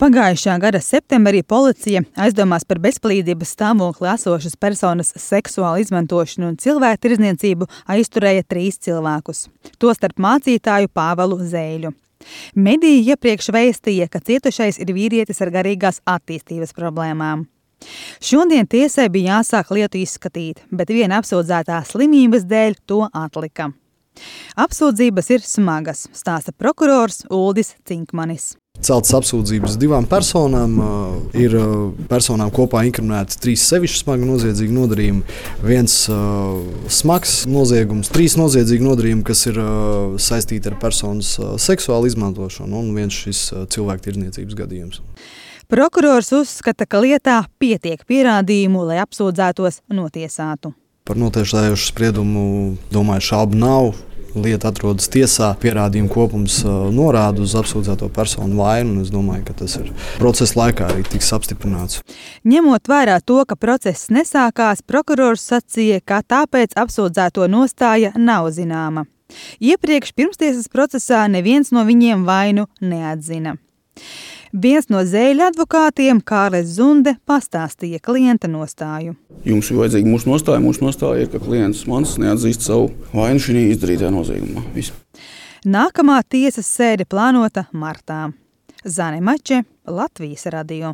Pagājušā gada septembrī policija aizdomās par bezpalīdzības stāvokli esošas personas seksuālu izmantošanu un cilvēktirdzniecību aizturēja 3 cilvēkus, tostarp mācītāju Pāvelu Zēļu. Mediji iepriekš vēstīja, ka cietušais ir vīrietis ar garīgās attīstības problēmām. Šodien tiesai bija jāsāk lietu izskatīt, bet viena apsūdzētā slimības dēļ to atlika. Apsūdzības ir smagas, stāsta prokurors Uldis Cinkmanis. Celtas apsūdzības 2 personām, ir personām kopā inkriminēti 3 sevišķi smagi noziedzīgi nodarījumi, 1 smags noziegums, 3 noziedzīgi nodarījumi, kas ir saistīti ar personas seksuālu izmantošanu un 1 šis cilvēktirdzniecības gadījums. Prokurors uzskata, ka lietā pietiek pierādījumu, lai apsūdzētos notiesātu. Par notiesājošu spriedumu, domāju, šaubu nav. Lieta atrodas tiesā, pierādījumu kopums norāda uz apsūdzēto personu vainu, un es domāju, ka tas ir procesa laikā arī tiks apstiprināts. Ņemot vērā to, ka process nesākās, prokurors sacīja, ka tāpēc apsūdzēto nostāja nav zināma. Iepriekš pirmstiesas procesā neviens no viņiem vainu neatzina. Viens no Zēļa advokātiem, Kārlis Zunde, pastāstīja klienta nostāju. Jums ir vajadzīga mūsu nostāja. Mūsu nostāja ir, ka klients mans neatzīst savu vainu šī izdarītajā noziegumā. Viss. Nākamā tiesas sēde plānota martā. Zane Mače, Latvijas radio.